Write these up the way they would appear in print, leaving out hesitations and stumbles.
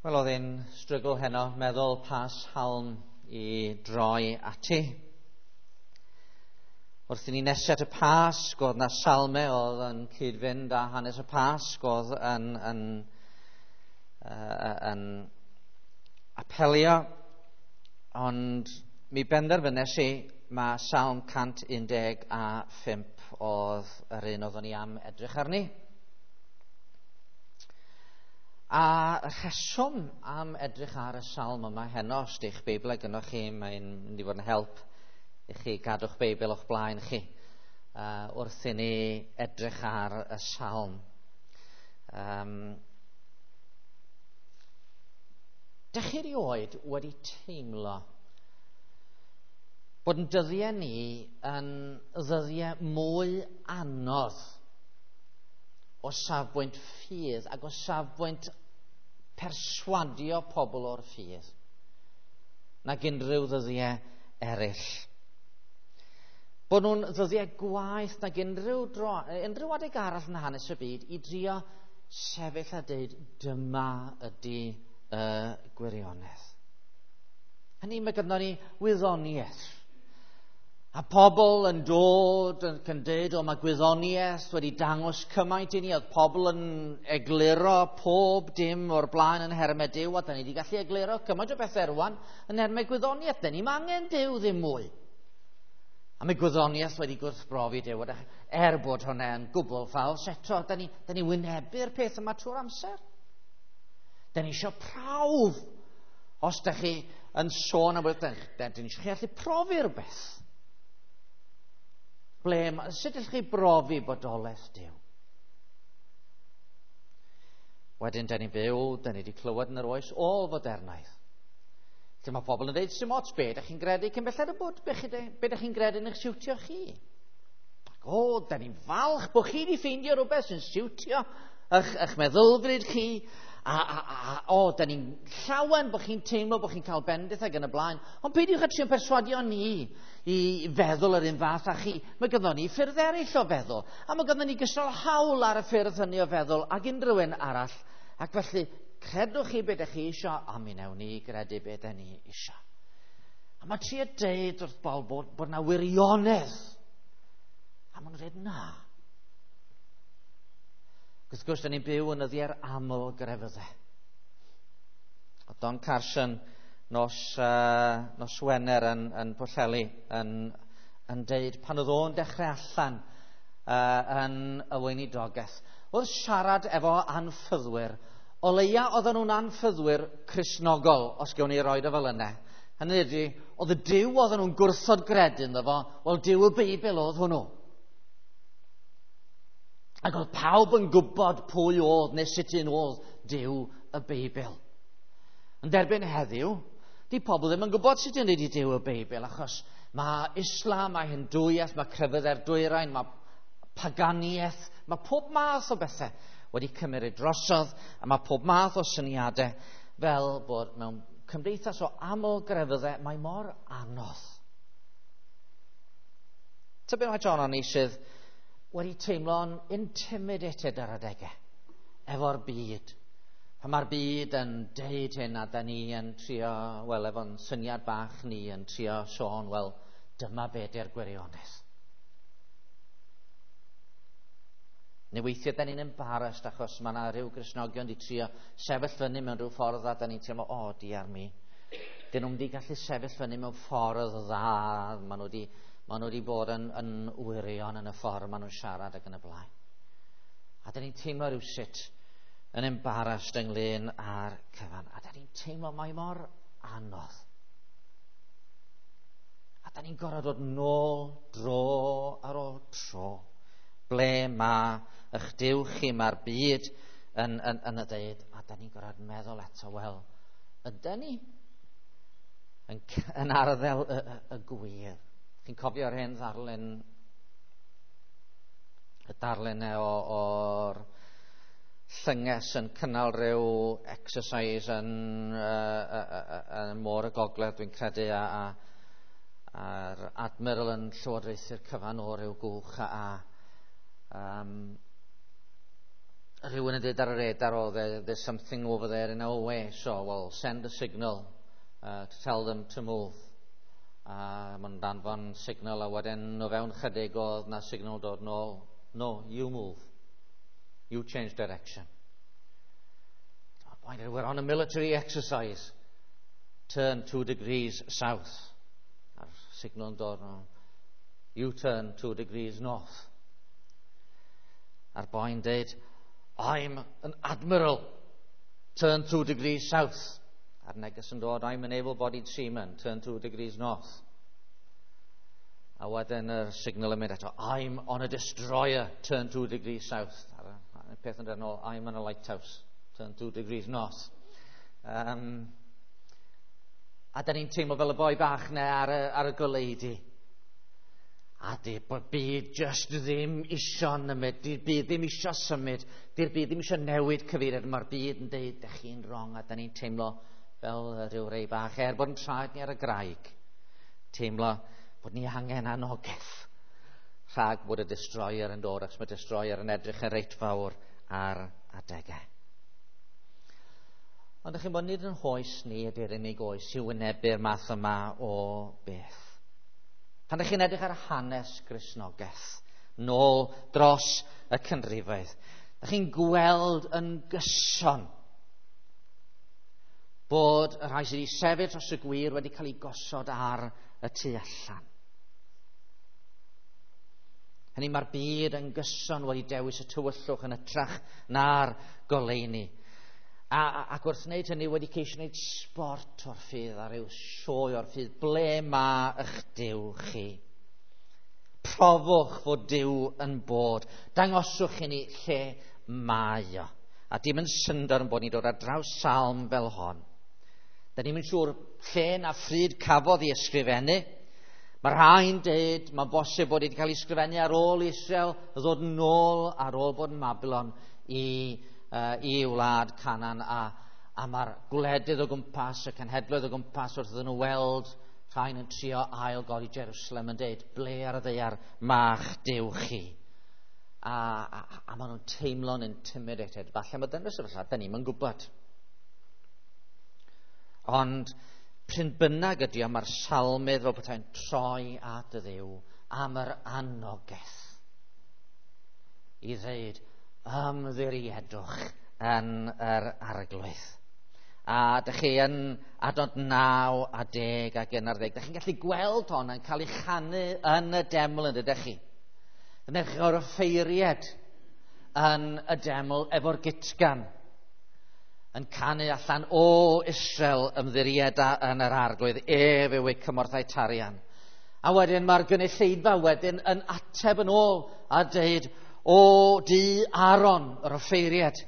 Wel, oedd e'n strygl heno, meddwl pa salm i droi ati. Wrth i ni nesio at y Pasg, oedd na salmau oedd yn cyd-fynd â hanes y Pasg, oedd yn apelio, ond mi benderfynes i mae Salm 115 oedd yr un oeddwn ni am edrych arni. A rheswm am edrych ar y salm yma heno, os di'ch Beibl gynnwch chi, mae'n mynd i fod yn help i chi gadw'ch Beibl o'ch blaen chi wrth i ni edrych ar y salm. Dych chi erioed wedi teimlo bod yn dyddiau ni yn ddyddiau mwy anodd o safbwynt ffydd ac o safbwynt perswadio pobl o'r ffydd nag unrhyw ddyddiau eraill? Bod nhw'n ddyddiau gwaeth nag unrhyw adeg arall yn hanes y byd i drio sefyll a deud dyma ydy y gwirionedd. Hynny, mae gynnon ni wyddoniaeth. A pobl yn dod ac yn dweud, o, mae gwyddoniaeth wedi dangos cymaint i ni. Oedd pobl yn egluro pob dim o'r blaen yn nhermau Duw, a da ni wedi gallu egluro cymaint o bethau rwan yn nhermau gwyddoniaeth. Da ni'm angen Duw ddim mwy. A mae gwyddoniaeth wedi gwrthbrofi Duw, er bod hwnna yn gwbl ffals eto, da ni wynebu'r peth yma trwy'r amser. Da ni eisiau prawf. Os da chi yn sôn am beth, da ni eisiau chi allu profi rhywbeth. Sut ydych chi brofi bodolaeth Duw? Wedyn, da ni'n byw, da ni wedi clywed yn yr oes ôl-fodernaidd. Lle mae pobl yn dweud, sy'n ots be ydych chi'n gredu cyn belled y bod, be ydych chi'n gredu yn eich siwtio chi? Ac o, da ni'n falch bod chi wedi ffeindio rhywbeth sy'n siwtio eich meddylfryd chi. O, da ni'n llawen bod chi'n teimlo bod chi'n cael bendith ac yn y blaen. Ond peidiwch â trio perswadio ni i feddwl yr un fath â chi. Mae gynnon ni ffyrdd eraill o feddwl. A mae gynnon ni gystal hawl ar y ffyrdd hynny o feddwl ag unrhyw un arall. Ac felly, credwch chi beth ydych chi isio, a mi wnawn ni gredu beth ydych ni isio. A mae trio deud wrth bobl bod na wirionedd. A maen nhw'n dweud na. Wrth gwrs, da ni'n byw yn nyddiau'r aml grefyddau. O Don Carson nos Wener yn Pwllheli yn deud pan oedd o'n dechrau allan yn y weinidogaeth, wrth siarad efo anffyddwyr, o leia oedden nhw'n anffyddwyr Cristnogol, os gewn ni roed o fel yna. Hynny ydy, oedd y Duw oedden nhw'n gwrthod gredu ynddo fo, wel Duw y Beibl oedd hwnnw. Ac oedd pawb yn gwybod pwy oedd neu sut un oedd Duw y Beibl. Yn derbyn heddiw, di pobl ddim yn gwybod sut un ydi Duw y Beibl, achos mae Islam, mae Hindwiaeth, mae crefyddau'r dwyrain, mae paganiaeth, mae pob math o bethau wedi cymryd drosodd, a mae pob math o syniadau fel bod mewn cymdeithas o aml grefyddau, mae mor anodd. Tybed mae John o'n i sydd wedi teimlo'n intimidated ar adegau efo'r byd. Pan mae'r byd yn deud hyn a da ni yn trio, wel, efo'n syniad bach ni yn trio sôn, wel, dyma be di'r gwirionedd. Neu weithiau da ni'n embarrassed achos mae yna rhyw Gristnogion di trio sefyll fyny mewn rhyw ffordd a da ni'n teimlo, o, diar mi. Dyn nhw'n di gallu sefyll fyny mewn ffordd dda, maen nhw wedi bod yn wirion yn y ffordd maen nhw'n siarad ac yn y blaen. A da ni'n teimlo rhywsut yn embarrassed ynglyn â'r cyfan. A da ni'n teimlo mae mor anodd. A da ni'n gorfod dod nôl dro ar ôl tro. Ble mae eich Duw chi, mae'r byd yn y deud. A da ni'n gorfod meddwl eto, wel, ydy ni yn arddel y gwir? Chi'n cofio'r hen ddarlun, y darlun o'r llynges yn cynnal rhyw exercise yn môr y gogledd, dwi'n credu, a'r admiral yn llywodraethu'r cyfan o ryw gwch, Rhywun yn dweud ar y radar, "Oh, there's something over there in our way, so, well, send a signal to tell them to move." A maen danfon signal, a wedyn o fewn chydig oedd na signal dod nôl. "No, you move. You change direction." "We're on a military exercise. Turn 2 degrees south." A'r signal yn dod, "No. You turn 2 degrees north." A'r boi'n deud, "I'm an admiral. Turn 2 degrees south." A'r neges yn dod, "I'm an able-bodied seaman. Turn 2 degrees north." A wedyn y signal yn mynd eto, "I'm on a destroyer. Turn 2 degrees south." A'r peth yn dod nôl, "I'm on a lighthouse. Turn 2 degrees north." A da ni'n teimlo fel y boi bach 'na ar y goleudy. A di bod byd just ddim isio nymud, di'r byd ddim isio symud, di'r byd ddim isio newid cyfeiriad. Mae'r byd yn deud, "Dych chi'n wrong," a da ni'n teimlo fel rhyw rei bach, er bod yn traed ni ar y graig. Teimlo bod ni angen anogaeth rhag bod y destroyer yn dod, achos mae destroyer yn edrych yn reit fawr ar adegau. Ond ydych chi'n bod nid yn hoes ni ydy'r unig oes i wynebu'r math yma o beth. Pan ydych chi'n edrych ar hanes Gristnogaeth, nôl dros y canrifoedd, ydych chi'n gweld yn gyson bod y rhai sydd wedi sefyll dros y gwir wedi cael ei gosod ar y tu allan. Hynny, mae'r byd yn gyson wedi dewis y tywyllwch yn hytrach na'r goleuni. Ac wrth wneud hynny wedi ceisio wneud sport o'r ffydd a rhyw sioe o'r ffydd. "Ble mae eich Duw chi? Profwch fod Duw yn bod. Dangoswch i ni lle mae o." A dim yn syndod yn bod ni'n dod ar draws salm fel hon. Da ni'n siŵr lle na phryd cafodd ei ysgrifennu. Mae rhai'n dweud, mae'n bosib bod wedi cael ei ysgrifennu ar ôl Israel ddod nôl ar ôl bod yn Babylon i wlad Canaan, a mae'r gwledydd o gwmpas, y cenhedloedd o gwmpas, wrth iddyn nhw weld rhain yn trio ail godi Jerusalem yn deud, "Ble ar y ddaear ma'ch Duw chi?" A maen nhw'n teimlo'n intimidated. Falle mae dyna'r sefyllfa, da ni'n gwybod. Ond p'run bynnag ydy o, mae'r salmydd fel petai'n troi at y Dduw am yr anogaeth i ddweud, "Ymddiriedwch yn yr Arglwydd." A dych chi yn adnod 9 a 10 ac 11. Dych chi'n gallu gweld hon yn cael ei chanu yn y deml, yn dydych chi? Yn edrych o'r offeiried yn y deml efo'r gutgan yn canu allan, "O Israel, ymddirieda yn yr Arglwydd, ef yw eu cymorth a'u tarian." A wedyn mae'r gynulleidfa wedyn yn ateb yn ôl a dweud, "O dŷ Aaron, yr offeiried,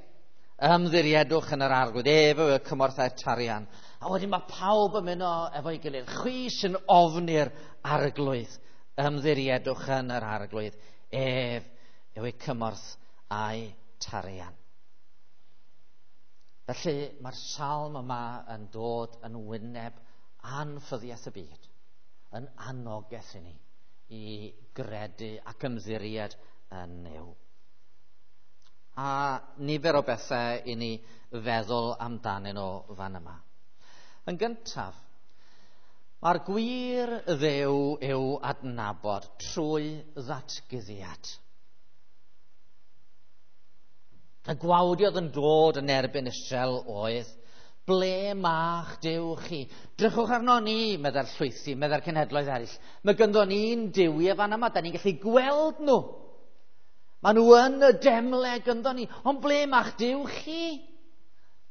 ymddiriedwch yn yr Arglwydd, ef yw y cymorth a'r tarian." A wedyn mae pawb yn mynd efo'i gilydd. "Chwi sy'n ofni'r Arglwydd, ymddiriedwch yn yr Arglwydd, ef yw eu cymorth a'i tarian." Felly mae'r salm yma yn dod yn wyneb anffyddiaeth y byd, yn anogaeth i ni i gredu ac ymddiried yn Nuw. A nifer o bethau i ni feddwl amdanyn nhw fan yma. Yn gyntaf, mae'r gwir Dduw i'w adnabod trwy ddatguddiad. Y gwawdiodd yn dod yn erbyn Israel oedd, "Ble ma'ch Duw chi? Drychwch arno ni," meddai'r llwythi, meddai'r cenhedloedd eraill. "Mae gynddo ni'n duwiau fan yma, da ni'n gallu gweld nhw. Maen nhw yn y demle gynddo ni, ond ble ma'ch Duw chi?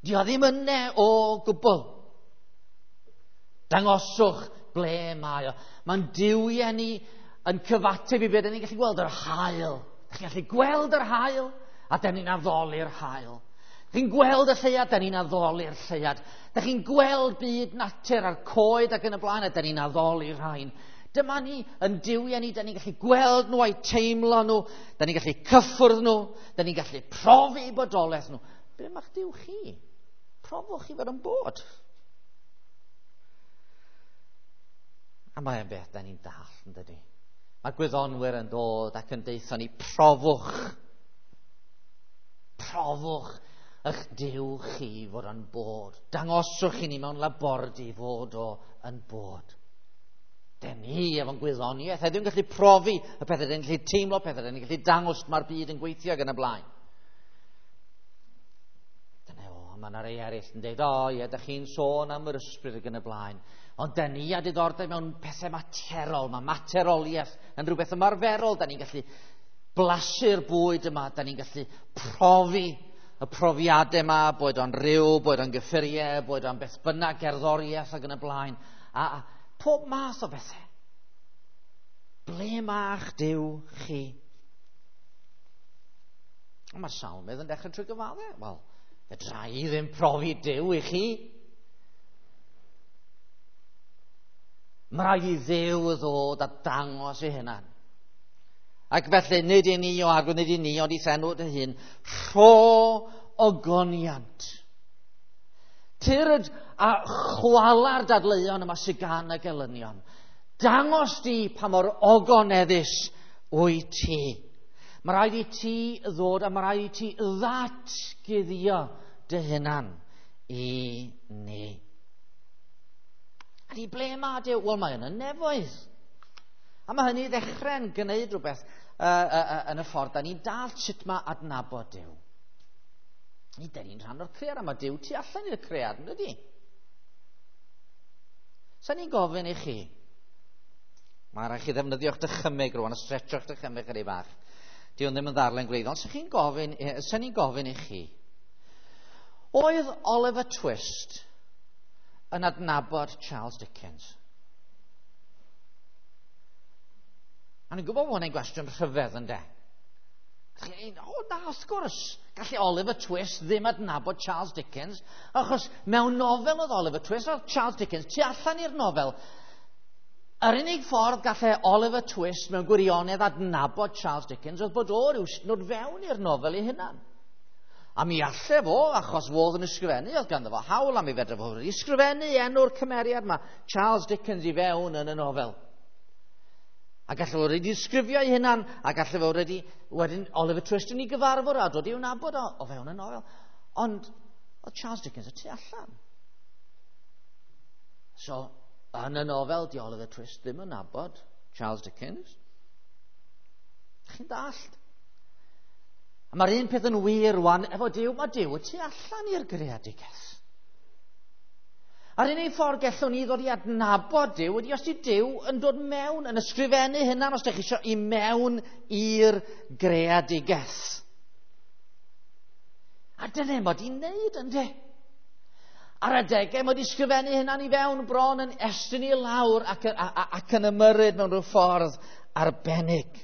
Di o ddim yne o gwbl. Dangoswch ble mae o. Mae'n duwiau ni yn cyfateb i beth ni'n gallu gweld, yr haul. Chi'n gallu gweld yr haul, a da ni'n addoli'r haul. Chi'n gweld y lleuad, da ni'n addoli'r lleuad. Da chi'n gweld byd natur a'r coed ac yn y blaen, a da ni'n addoli'r rhain. Dyma ni yn duwiau ni, da ni'n gallu gweld nhw a'u teimlo nhw, da ni'n gallu cyffwrdd nhw, da ni'n gallu profi bodolaeth nhw. Ble mae'ch Duw chi? Profwch chi fod yn bod." A mae'n beth da ni'n dall, yn dydy? Mae gwyddonwyr yn dod ac yn deutha ni, "Profwch. Profwch eich Duw chi fod o'n bod. Dangoswch i ni mewn labordy fod o yn bod. Den ni efo'n gwyddoniaeth heddiw'n gallu profi y pethau, den ni'n gallu teimlo pethau, den ni'n gallu dangos mae'r byd yn gweithio ac yn y blaen. Dyna o, mae yna rei eraill yn dweud, o ie, da chi'n sôn am yr ysbryd ac yn y blaen. Ond den ni a diddordeb mewn pethau materol, mae materoliaeth yn rhywbeth ymarferol, da ni'n gallu blasu'r bwyd yma, da ni'n gallu profi y profiadau yma, boed o'n rhyw, boed o'n gyffuriau, boed o'n beth bynnag, gerddoriaeth ac yn y blaen. A pob math o bethau. Ble ma'ch Duw chi? Mae'r salmydd yn dechrau trwy gyfadde. Wel, fedra i ddim profi Duw i chi. Mae rhaid i Dduw ddod a dangos ei hunan. Ac felly, nid i ni o Arglwydd, nid i ni, ond i'th enw dy hun, rho ogoniant. Tyrd a chwala'r dadleuon yma sydd gan y gelynion. Dangos di pa mor ogoneddus wyt ti. Mae rhaid i ti ddod a mae rhaid i ti ddatguddio dy hunan i ni. A di ble mae Duw? Wel, mae yn y nefoedd. A mae hynny ddechrau'n gwneud rhywbeth yn y ffordd da ni'n dal sut mae adnabod Duw. Ni dyn ni'n rhan o'r cread, a mae Duw tu allan i'r cread, yn dydi? Sa ni'n gofyn i chi, mae rhaid chi ddefnyddio'ch dychymyg rwan, a stretcho'ch dychymyg chydig bach. Di hwn ddim yn ddarllen gwleidyddol, ond sa ni'n gofyn i chi, oedd Oliver Twist yn adnabod Charles Dickens? A ni'n gwybod bod hwnna'n gwestiwn rhyfedd, ynde? O na, wrth gwrs, gallu Oliver Twist ddim adnabod Charles Dickens, achos mewn nofel oedd Oliver Twist, oedd Charles Dickens tu allan i'r nofel. Yr unig ffordd gallai Oliver Twist mewn gwirionedd adnabod Charles Dickens oedd bod o ryw nod fewn i'r nofel ei hunan. A mi alle fo, achos fodd yn ysgrifennu, oedd ganddo fo hawl, a mi fedra fo wedi ysgrifennu enw'r cymeriad yma, Charles Dickens, i fewn yn y nofel. A gallai fo wedi disgrifio ei hunan, a gallai fo wedi, wedyn Oliver Twist yn ei gyfarfod a dod i'w nabod o fewn y nofel. Ond oedd Charles Dickens y tu allan. So, yn y nofel, di Oliver Twist ddim yn nabod Charles Dickens. Chi'n dallt? A mae'r un peth yn wir rwan efo Duw, mae Duw y tu allan i'r greadigaeth. A'r unig ffordd gallwn ni ddod i adnabod Duw ydy os ydy Duw yn dod mewn, yn ysgrifennu hynna, os ydych chi eisiau, i mewn i'r greadigaeth. A dyna mod i'n neud, ynddi? Ar adegau mod i ysgrifennu hynna'n i fewn bron yn estyn i lawr ac yn ymyrryd mewn rhyw ffordd arbennig.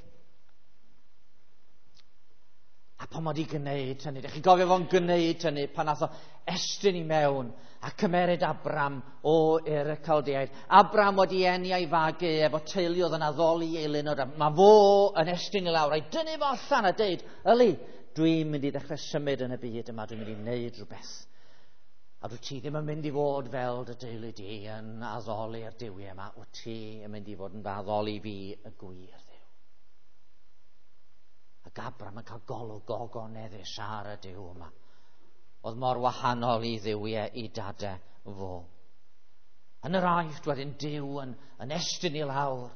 A pan mod i gwneud hynny, ydych chi'n gofio fo'n gwneud hynny pan nath o estyn i mewn a cymeryd Abram o Ur y Caldeaid. Abram wedi eni a'i fagu efo teulu oedd yn addoli ei lunod. Mae fo yn estyn i lawr a'i dynnu fo allan a deud, yli, dwi'n mynd i ddechrau symud yn y byd yma, dwi'n mynd i wneud rhywbeth. A dwi ti ddim yn mynd i fod fel dy deulu di yn addoli'r duwiau yma, wyt ti yn mynd i fod yn addoli fi y gwir Dduw. Ac Abram yn cael golwg gogoneddus ar y Duw yma. Oedd mor wahanol i dduwiau i dadau fo. Yn yr Aifft wedyn Duw yn estyn i lawr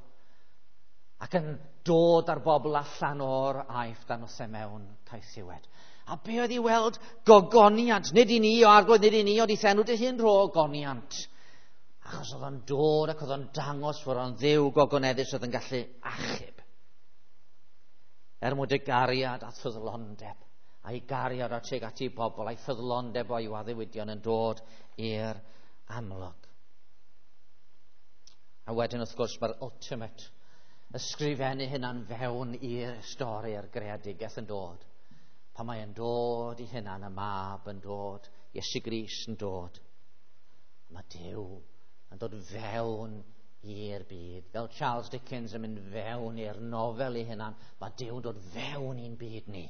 ac yn dod ar bobl allan o'r Aifft a nosau mewn caethiwed. A be oedd i weld? Gogoniant. Nid i ni o Arglwydd, nid i ni, ond i'th enw dy hun rho ogoniant. Achos oedd o'n dod ac oedd o'n dangos fod o'n Dduw gogoneddus oedd yn gallu achub. Er mwyn dy gariad a ffyddlondeb, a'i gariad o tuag at ei bobl, a'i ffyddlondeb o'i addewidion yn dod i'r amlwg. A wedyn wrth gwrs mae'r ultimate ysgrifennu hynna'n fewn i'r stori a'r greadigaeth yn dod. Pan mae yn dod i hunan, y mab yn dod, Iesu Grist yn dod. Mae Duw yn dod fewn i'r byd. Fel Charles Dickens yn mynd fewn i'r nofel ei hunan, mae Duw yn dod fewn i'n byd ni.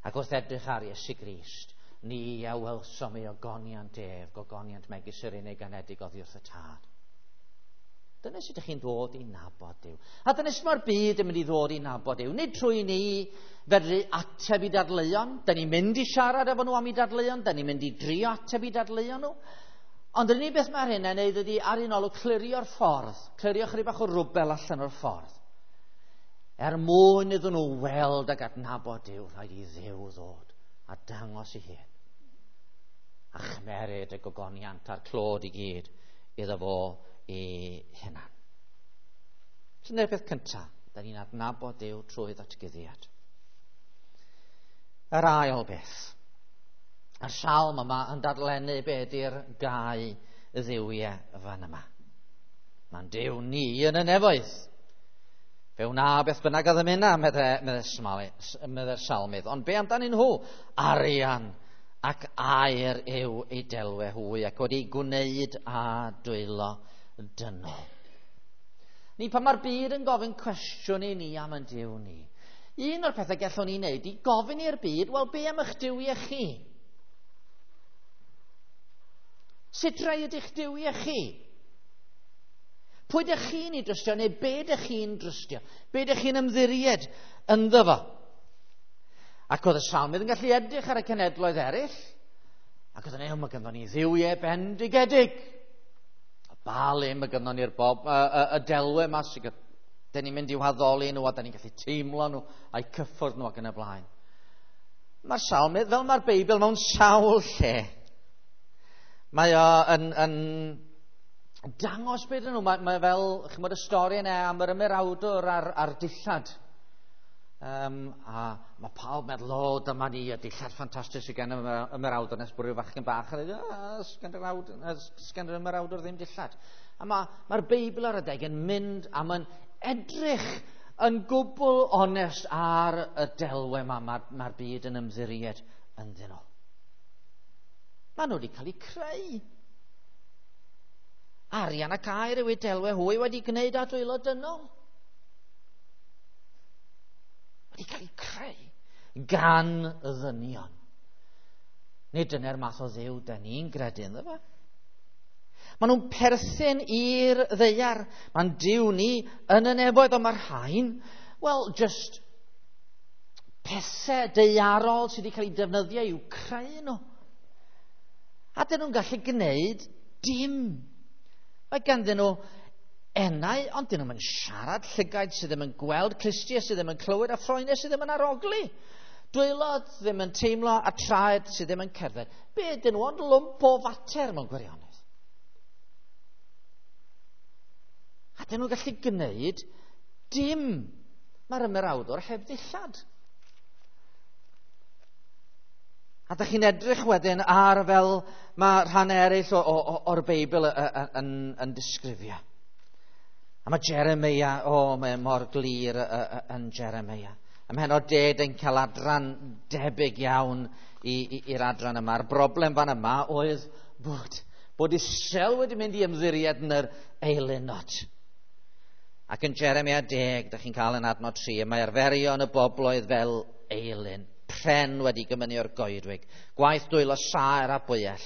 Ac wrth edrych ar Iesu Grist, ni a welsom ei ogoniant ef, gogoniant megis yr unig anedig oddi wrth y Tad. Dyna sut ydych chi'n dod i nabod Duw. A dyna sut mae'r byd yn mynd i ddod i nabod Duw. Nid trwy ni fedru ateb i dadleuon. Da ni'n mynd i siarad efo nhw am i dadleuon. Da ni'n mynd i drio ateb i dadleuon nhw. Ond yr unig beth mae'r hyn yn neud ydy ar un olwg clirio'r ffordd. Clirio chydig bach o rwbel allan o'r ffordd. Er mwyn iddyn nhw weld ac adnabod Duw, rhaid i Dduw ddod a dangos ei hun. A chymeryd y gogoniant a'r clod i gyd iddo fo ei hunan. Dyna'r peth cyntaf. Da ni'n adnabod Duw trwy ddatguddiad. Yr ail beth. A'r salm yma yn dadlennu be ydy'r gau dduwiau fan yma. Mae'n Duw ni yn y nefoedd. Fe wna beth bynnag a ddymuna, medde'r salmydd. Ond be amdanyn nhw? Arian ac aur yw eu delwe hwy ac wedi gwneud â dwylo dynol. Ni pan mae'r byd yn gofyn cwestiwn i ni am yn Duw ni, un o'r pethau gallwn ni wneud i gofyn i'r byd, wel, be am eich duwiau chi? Sut rai ydych duwiau chi? Pwy ydych chi'n ei drystio, neu be ydych chi'n drystio? Be ydych chi'n ymddiried ynddo fo? Ac oedd y salmydd yn gallu edrych ar y cenedloedd eraill, ac oedd yn ei, mae ganddo ni dduwiau bendigedig. A ba le mae ganddo ni'r bob, y delwe yma sydd dyn ni'n mynd i'w haddoli nhw, a dyn ni'n gallu teimlo nhw, a'u cyffwrdd nhw ac yn y blaen. Mae'r salmydd, fel mae'r Beibl, mewn sawl lle. Mae o yn dangos beth nhw. Mae fel, chymod, y stori yna am yr ymerawdwr a'r dillad. A mae pawb meddwl, o, dyma ni, y dillad ffantastig sydd gen y ymerawdwr, nes bod rhyw fachgen bach a dweud, sgen yr ymerawdwr ddim dillad. A mae'r Beibl ar adeg yn mynd a mae'n edrych yn gwbl onest ar y delwe yma mae'r byd yn ymddiried ynddyn nhw. Maen nhw wedi cael eu creu. Arian ac aur yw eu delwe hwy wedi gwneud â dwylo dynol. Wedi cael eu creu gan ddynion. Nid dyna'r math o Dduw da ni'n gredu ynddo fe. Maen nhw'n perthyn i'r ddaear. Mae'n Duw ni yn y nefoedd, ond mae'r rhain, wel, just pethau daearol sydd wedi cael eu defnyddio i'w creu nhw. A dyn nhw'n gallu gwneud dim. Mae ganddyn nhw enau, ond dyn nhw'n siarad, llygaid sydd ddim yn gweld, clustiau sydd ddim yn clywed, a ffroenau sydd ddim yn arogli. Dwylo ddim yn teimlo, a traed sydd ddim yn cerdded. Be dyn nhw ond lwmp o fater mewn gwirionedd. A dyn nhw'n gallu gwneud dim. Mae'r ymerawdwr heb ddillad. A dych chi'n edrych wedyn ar fel mae rhan eraill o'r Beibl yn disgrifio. A mae Jeremia, mae mor glir yn Jeremia. Ym mhennod 10 yn cael adran debyg iawn i'r adran yma. A'r broblem fan yma oedd bod Israel wedi mynd i ymddiried yn yr eilunod. Ac yn Jeremia 10, dych chi'n cael yn adnod 3, mae arferion y bobloedd fel eilun, pren wedi gymynnu o'r goedwig, gwaith dwylo saer a bwyell,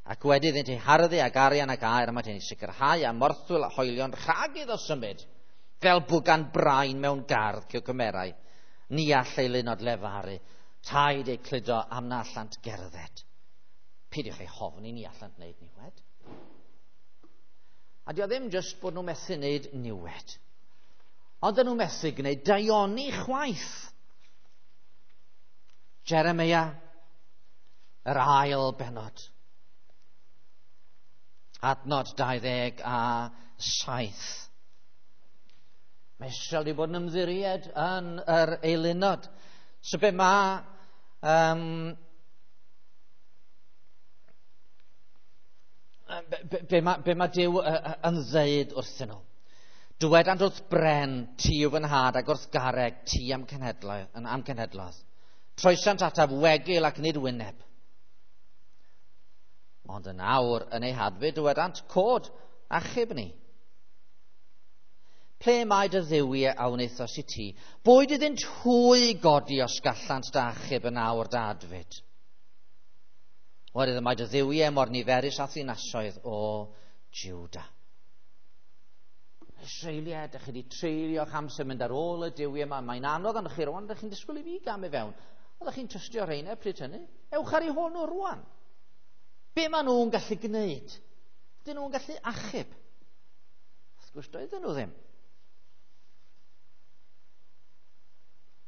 ac wedi iddynt eu harddu ag arian ac aur, a mae hyn i sicrhau a morthwyl a hoelion rhag iddo symud, fel bwgan brain mewn gardd cymerau. Ni all eilunod lefaru, rhaid eu cludo am na allant gerdded. Peidiwch eu hofni, ni allant wneud niwed. A dio ddim jyst bod nhw methu wneud niwed, ond nhw methu gwneud daioni chwaith. Jeremia, yr ail bennod. Adnod 27. Mae Israel wedi bod yn ymddiried yn yr eilunod. So be mae be mae Duw yn ddeud wrthyn nhw? Dywedant wrth bren, ti yw fy nhad, ac wrth garreg, ti am cenhedloedd. Troesant ataf wegil ac nid wyneb. Ond yn awr yn ei hadfyd, dywedant, cod, achub ni. Ple mae dy dduwiau a wnaethos i ti? Boed iddynt hwy godi os gallant dy achub yn awr dy adfyd. Oherwydd mae dy dduwiau mor niferus a ddinasoedd o Juda. Israeliaid, ydych chi wedi treulio'ch amser mynd ar ôl y duwiau yma. Mae'n anodd arnoch chi rwan, ydych chi'n disgwyl i fi gamu fewn. Oeddech chi'n trystio rheina pryd hynny? Ewch ar eu hôl nhw rwan. Be maen nhw'n gallu gwneud? Dyn nhw'n gallu achub? Wrth gwrs, doedden nhw ddim.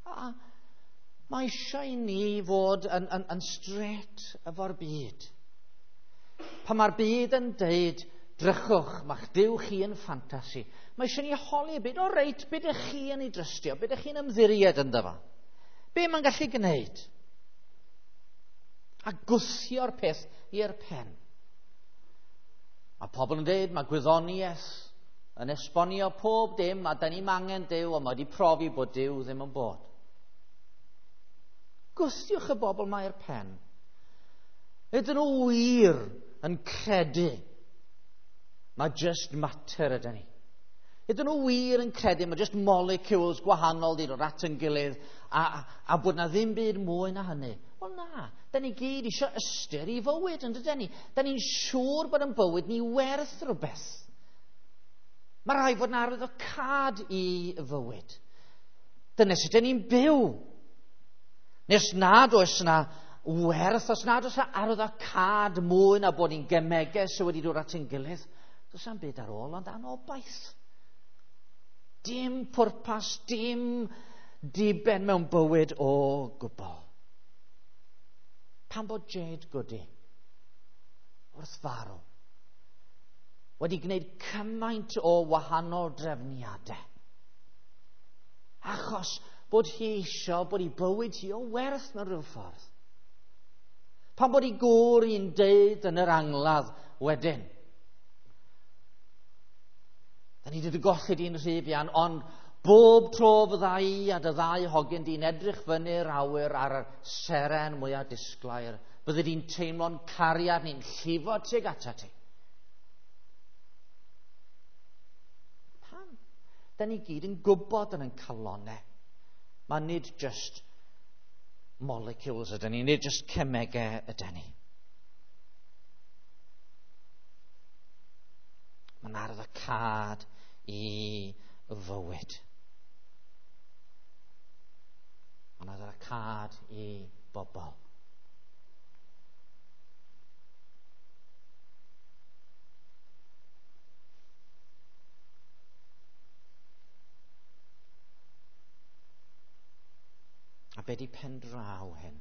A mae eisiau i ni fod yn straight efo'r byd. Pan mae'r byd yn deud, drychwch, mae'ch Duw chi yn ffantasi. Mae eisiau ni holi y byd, o reit, be ydych chi yn ei drystio, be ydych chi'n ymddiried ynddo fo? Be mae'n gallu gwneud? A gwthio'r peth i'r pen. Mae pobl yn dweud, mae gwyddoniaeth yn esbonio pob dim, a da ni'm angen Duw, ond mae wedi profi bod Duw ddim yn bod. Gwthiwch y bobl mae i'r pen. Ydyn nhw wir yn credu mae just mater ydyn ni? Ydyn nhw wir yn credu mae just molecules gwahanol di dod at yn gilydd a bod na ddim byd mwy na hynny? Wel na, da ni gyd eisiau ystyr i fywyd, yn dydyn ni? Da ni'n siŵr bod yn bywyd ni werth rhywbeth. Mae rhaid fod yn arwyddocâd i fywyd. Dyna sut dyn ni'n byw. Nes nad oes yna werth, os nad oes yna arwyddocâd mwy na bod ni'n gemegau sydd wedi dod at ein gilydd, does na'm byd ar ôl ond anobaith. Dim pwrpas, dim diben mewn bywyd o gwbl. Pam bod Jade Goody wrth farw wedi gwneud cymaint o wahanol drefniadau? Achos bod hi eisiau bod ei bywyd hi o werth mewn rhyw ffordd. Pam bod ei gŵr hi'n deud yn yr angladd wedyn, da ni wedi golli di'n rhy fuan, ond bob tro fydda i a dy ddau hogyn di'n edrych fyny'r awyr ar y seren mwyaf disglair, bydde di'n teimlo'n cariad ni'n llifo tuag atat ti. Pam? Da ni gyd yn gwybod yn ein calonnau. Mae nid just molecules ydyn ni, nid just cemegau ydyn ni. Mae'n arwyddocâd i fywyd. Mae'n arwyddocâd i bobl. A be di pen draw hyn?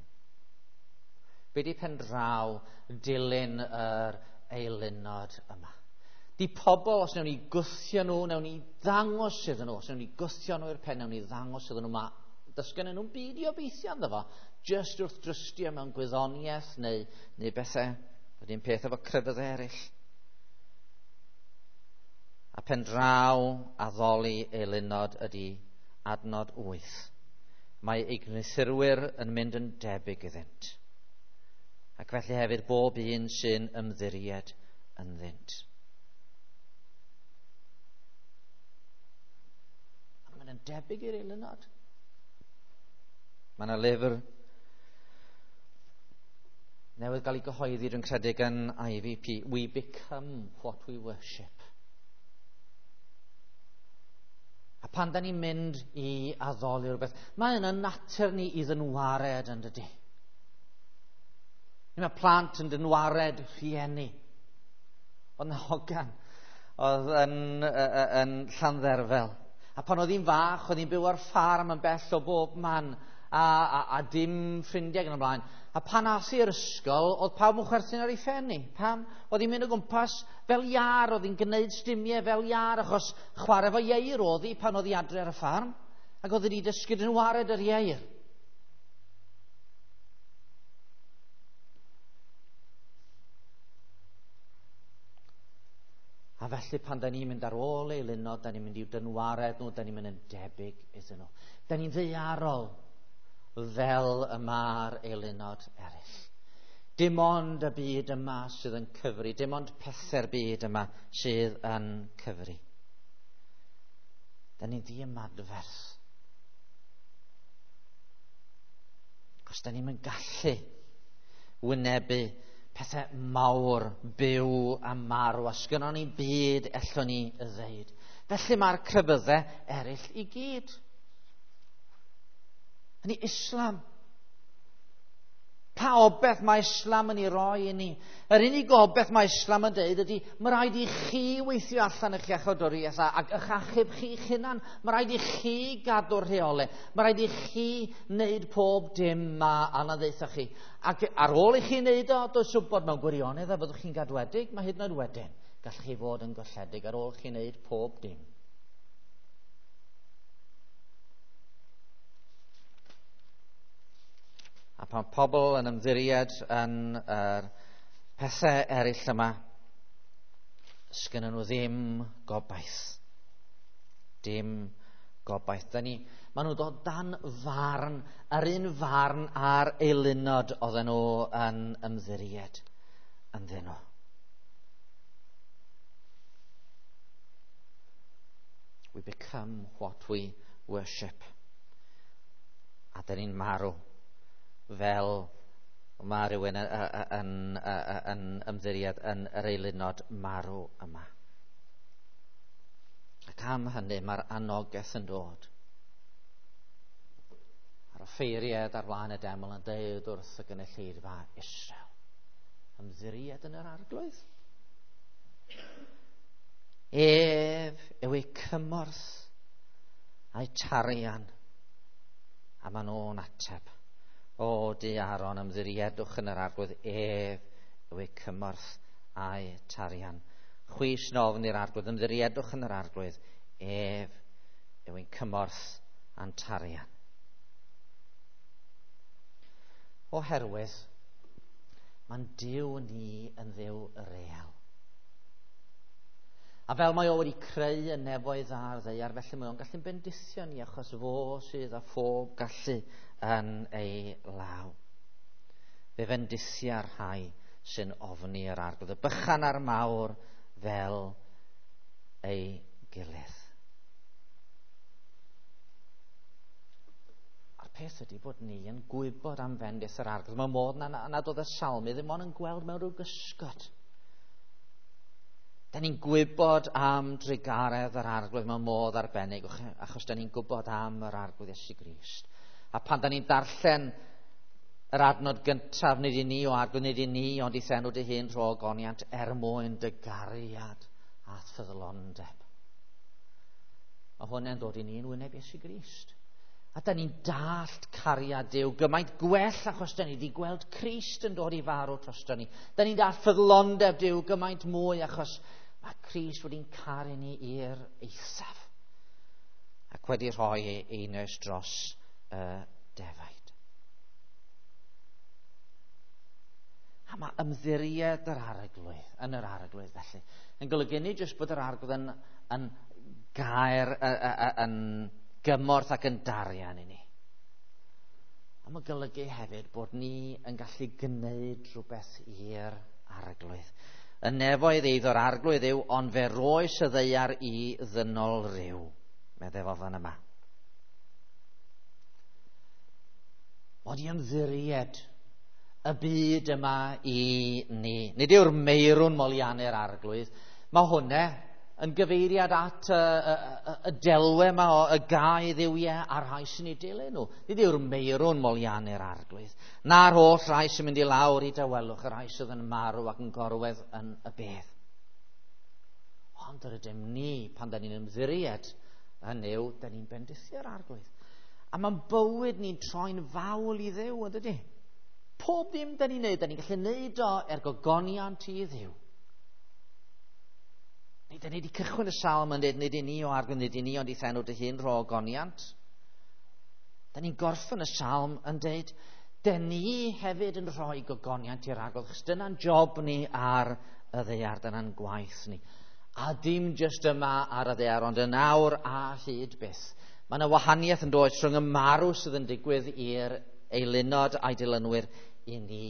Be di pen draw dilyn yr eilunod yma? Di pobl, os newn ni gwthio nhw, newn ni ddangos iddyn nhw, os newn ni gwthio nhw i'r pen, newn ni ddangos iddyn nhw, mae does gennyn nhw'n byd i obeithio ynddo fo, jyst wrth drystio mewn gwyddoniaeth neu bethau, yr un peth efo crefyddau eraill. A pen draw addoli eilunod ydy adnod 8. Mae ei gwneuthurwyr yn mynd yn debyg iddynt. Ac felly hefyd bob un sy'n ymddiried ynddynt. Mae'n mynd yn debyg i'r eilunod. Mae yna lyfr newydd gael ei gyhoeddi, dwi'n credu, gan IVP, We Become What We Worship. A pan da ni'n mynd i addoli rhywbeth, mae yna natur ni i ddynwared yn dydy. Mae plant yn dynwared rhieni. Oedd na hogan oedd yn Llandderfel. A pan oedd hi'n fach, oedd hi'n byw ar ffarm yn bell o bob man, a dim ffrindiau gan ymlaen. A pan as i'r ysgol, oedd pawb yn chwerthin ar ei phen hi. Pam? Oedd hi'n mynd o gwmpas fel iâr, oedd hi'n gwneud stumiau fel iâr, achos chwarae fo ieir oedd hi pan oedd hi adre ar y ffarm, ac oedd hi wedi dysgu dynwared yr ieir. A felly pan da ni'n mynd ar ôl eilunod, da ni'n mynd i'w dynwared nhw, da ni'n mynd yn debyg iddyn nhw. Da ni'n ddaearol fel y mae'r eilunod eraill. Dim ond y byd yma sydd yn cyfri, dim ond pethau'r byd yma sydd yn cyfri. Da ni'n ddiymadferth. Os da ni'n gallu wynebu pethau mawr, byw a marw, a sgynnon ni byd ellwn ni ddeud. Felly mae'r crefyddau eraill i gyd. Hynny Islam. Pa obaith mae Islam yn ei roi i ni? Yr unig obaith mae Islam yn deud ydy, mae rhaid i chi weithio allan eich iachawdwriaeth ac eich achub chi'ch hunan. Mae rhaid i chi gadw'r rheolau. Mae rhaid i chi wneud pob dim ma a ddeutha chi. Ac ar ôl i chi wneud o, does wybod mewn gwirionedd a fyddwch chi'n gadwedig, mae hyd yn oed wedyn. Gallwch chi fod yn golledig ar ôl chi wneud pob dim. A pan pobl yn ymddiried yn yr pethau eraill yma, sgynnyn nhw ddim gobaith. Dim gobaith. Maen nhw'n dod dan farn, yr un farn a'r eilunod oedden nhw yn ymddiried ynddyn nhw. We become what we worship. A dyn ni'n marw fel mae rhywun yn ymddiried yn yr eilunod marw yma. Ac am hynny mae'r anogaeth yn dod. A'r offeiriad ar flaen y deml yn deud wrth y gynulleidfa Israel, ymddiried yn yr Arglwydd. Ef yw eu cymorth a'i tarian, a maen nhw'n ateb. O, di Aaron, ymddiriedwch yn yr Arglwydd, ef yw eu cymorth a'i tarian. Chwi sy'n ofn i'r Arglwydd, ymddiriedwch yn yr Arglwydd, ef yw ein cymorth a'n tarian. Oherwydd, mae'n Duw ni yn Dduw real. A fel mae o wedi creu y nefoedd a'r ddaear, felly mae o'n gallu'n bendithio ni achos fo sydd â phob gallu yn ei law. Fe fendithia'r rhai sy'n ofni yr Arglwydd, y bychan a'r mawr fel ei gilydd. A'r peth ydy bod ni yn gwybod am fendith yr Arglwydd. Mae modd nad oedd y salmydd ddim ond yn gweld mewn rhyw gysgod. Da ni'n gwybod am drugaredd yr Arglwydd mewn modd arbennig, achos da ni'n gwybod am yr Arglwydd Iesu Grist. A pan da ni'n darllen yr adnod gyntaf, nid i ni o Arglwydd, nid i ni, ond i'th enw dy hun rho ogoniant er mwyn dy gariad a ffyddlondeb. Mae hwnna'n dod i ni yn wyneb Iesu Grist. A da ni'n dallt cariad Duw gymaint gwell achos da ni wedi gweld Crist yn dod i farw drosto ni. Da ni'n dallt ffyddlondeb Duw gymaint mwy achos mae Crist wedi'n caru ni i'r eithaf ac wedi rhoi ei einioes dros y defaid. A mae ymddiried yr Arglwydd, yn yr Arglwydd felly, yn golygu nid jyst bod yr Arglwydd yn gair, yn gymorth ac yn darian i ni. A mae golygu hefyd bod ni yn gallu gwneud rhywbeth i'r Arglwydd. Y nefoedd eiddo'r Arglwydd yw, ond fe roes y ddaear i ddynol ryw, meddai fo fan yma. Mod i ymddiried y byd yma i ni. Nid yw'r meirwn moliannu'r Arglwydd. Mae hwnna yn gyfeiriad at y delwe yma o y gau dduwiau a'r rhai sy'n ei dilyn nhw. Nid yw'r meirwn moliannu'r Arglwydd. Na'r holl rhai sy'n mynd i lawr i dawelwch, y rhai sydd yn marw ac yn gorwedd yn y bedd. Ond yr ydym ni, pan da ni'n ymddiried yn Nuw, da ni'n bendithio'r Arglwydd. A mae'n bywyd ni'n troi'n fawl i Dduw, yn dydy? Pob dim da ni'n neud, da ni'n gallu neud o er gogoniant i Dduw. Nid da ni wedi cychwyn y salm yn dweud, nid i ni o Arglwydd, nid i ni, ond i'th enw dy hun rho ogoniant. Da ni'n gorffen y salm yn dweud, da ni hefyd yn rhoi gogoniant i'r Arglwydd, achos dyna'n job ni ar y ddaear, dyna'n gwaith ni. A dim jyst yma ar y ddaear, ond yn awr a hyd byth. Mae yna wahaniaeth yn dod rhwng y marw sydd yn digwydd i'r eilunod a'i dilynwyr i ni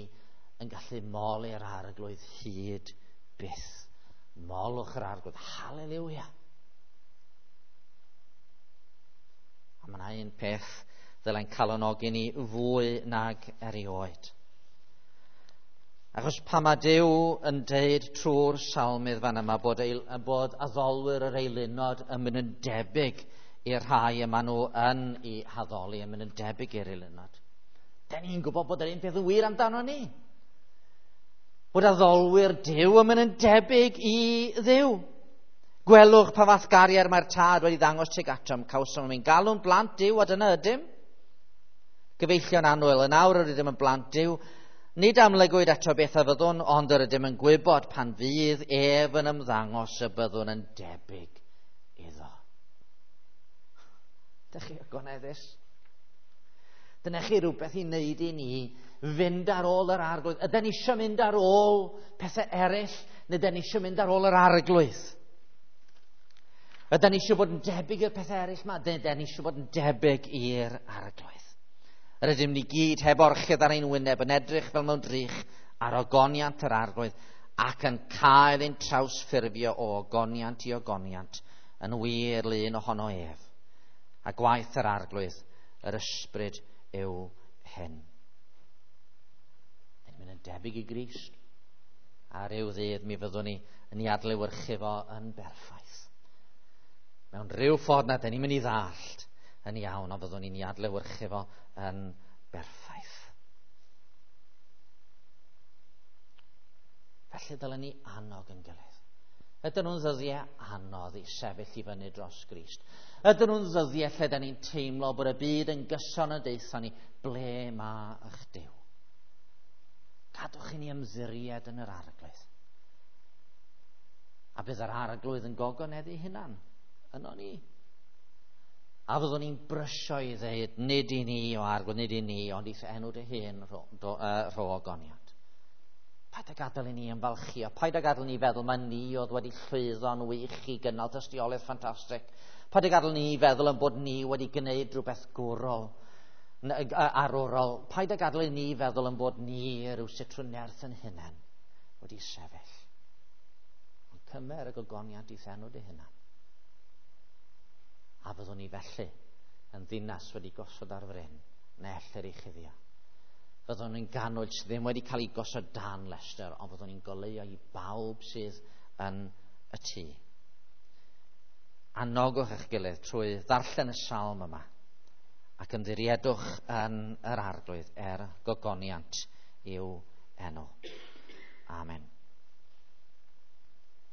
yn gallu moli'r Arglwydd hyd byth. Molwch yr Arglwydd. Haleluia. A mae yna un peth ddylai'n calonogi ni fwy nag erioed. Achos pan mae Duw yn deud trwy'r salmydd fan yma bod, eil, bod addolwyr yr eilunod yn mynd yn debyg i'r rhai y maen nhw yn ei haddoli, yn mynd yn debyg i'r eilunod. Da ni'n gwybod bod yr un peth yn wir amdano ni. Bod addolwyr Duw yn mynd yn debyg i Dduw. Gwelwch pa fath gariad mae'r tad wedi ddangos tuag atom. Cawsom ein galw'n blant Duw a dyna ydym. Gyfeillion annwyl, yn awr yr ydym yn blant Duw. Nid amlygwyd eto beth a fyddwn, ond yr ydym yn gwybod pan fydd ef yn ymddangos y byddwn yn debyg iddo. Dych chi ogoneddus? Dyna chi rhywbeth i wneud i ni fynd ar ôl yr arglwydd. Ydyn ni eisiau mynd ar ôl pethau eraill, neu ydyn ni eisiau mynd ar ôl yr arglwydd? Ydyn ni eisiau bod yn debyg i'r pethau eraill yma? Ydyn ni eisiau bod yn debyg i'r arglwydd? Yr ydym ni gyd heb orchudd ar ein wyneb yn edrych fel mewn drych ar ogoniant yr arglwydd ac yn cael ein trawsffurfio o ogoniant i ogoniant yn wir lun ohono ef. A gwaith yr arglwydd, yr ysbryd yw hyn. Ni'n mynd yn debyg i Grist. A ryw ddydd mi fyddwn ni yn ei adlewyrchu fo yn berffaith. Mewn rhyw ffordd na, dyn ni'n mynd i ddallt yn iawn, ond fyddwn ni'n ei adlewyrchu fo yn berffaith. Felly dylen ni annog yn gilydd. Ydyn nhw'n ddyddiau anodd i sefyll i fyny dros Grist? Ydyn nhw'n ddyddiau lle dyn ni'n teimlo bod y byd yn gyson yn deutha ni, ble mae eich Duw? Cadwch i ni ymddiried yn yr arglwydd. A bydd yr arglwydd yn gogoneddu hunan yno ni. A fyddwn ni'n brysio i ddeud, nid i ni o arglwydd, nid i ni, ond i'th enw dy hun rho, do, rho ogoniant. Paid â gadael i ni ymfalchio, paid â gadael i ni feddwl mae ni oedd wedi llwyddo'n wych i gynnal tystiolaeth ffantastig. Paid â gadael ni feddwl yn bod ni wedi gwneud rhywbeth gwrol, arwrol. Paid â gadael i ni feddwl yn bod ni rhywsut trwy nerth yn hunain wedi sefyll. Ond cymer y gogoniant i'th enw dy hunan. A fyddwn ni felly yn ddinas wedi gosod ar fryn, na ellir ei chuddio. Fyddwn ni'n ganwyll sydd ddim wedi cael ei gosod dan lestr, ond fyddwn ni'n goleuo i bawb sydd yn y tŷ. Anogwch eich gilydd trwy ddarllen y salm yma ac ymddiriedwch yn yr arglwydd er gogoniant i'w enw. Amen.